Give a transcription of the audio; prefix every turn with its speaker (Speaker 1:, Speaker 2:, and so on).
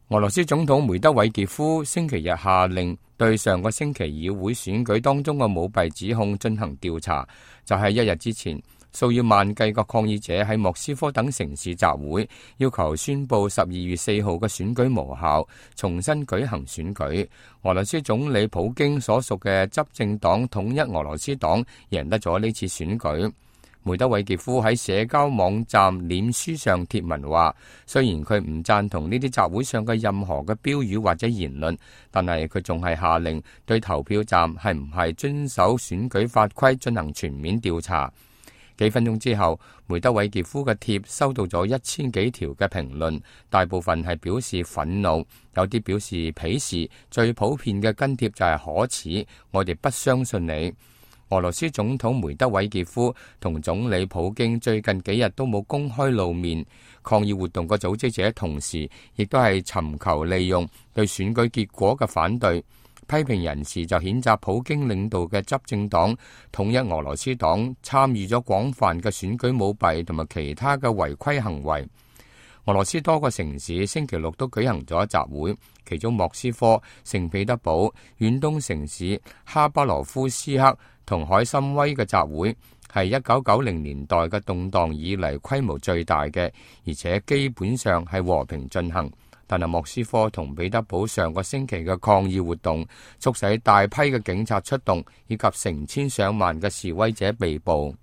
Speaker 1: 俄羅斯總統梅德韋傑夫星期日下令對上個星期議會選舉當中嘅舞弊指控進行調查。就係一日之前，數以萬計嘅抗議者喺莫斯科等城市集會，要求宣布12月4號嘅選舉無效，重新舉行選舉。俄羅斯總理普京所屬嘅執政黨統一俄羅斯黨贏得咗呢次選舉。梅德韋傑夫喺社交網站臉書上貼文話，雖然佢唔贊同呢啲集會上嘅任何嘅標語或者言論，但係佢仲係下令對投票站係唔係遵守選舉法規進行全面調查。幾分鐘之後，梅德韋傑夫嘅貼收到咗1000幾條嘅評論，大部分係表示憤怒，有啲表示鄙視，最普遍嘅跟貼就係可恥，我哋不相信你。俄羅斯總統梅德韋傑夫同總理普京最近幾日都冇公開露面，抗議活動嘅組織者同時亦都係尋求利用對選舉結果嘅反對。批評人士就譴責普京領導嘅執政黨統一俄羅斯黨參與咗廣泛嘅選舉舞弊同埋其他嘅違規行為。俄羅斯多個城市星期六都舉行咗集會，其中莫斯科、聖彼得堡、遠東城市哈巴羅夫斯克同海參崴嘅集會係1990年代嘅動盪以嚟規模最大嘅，而且基本上係和平進行。但係莫斯科同彼得堡上個星期嘅抗議活動，促使大批嘅警察出動，以及成千上萬嘅示威者被捕。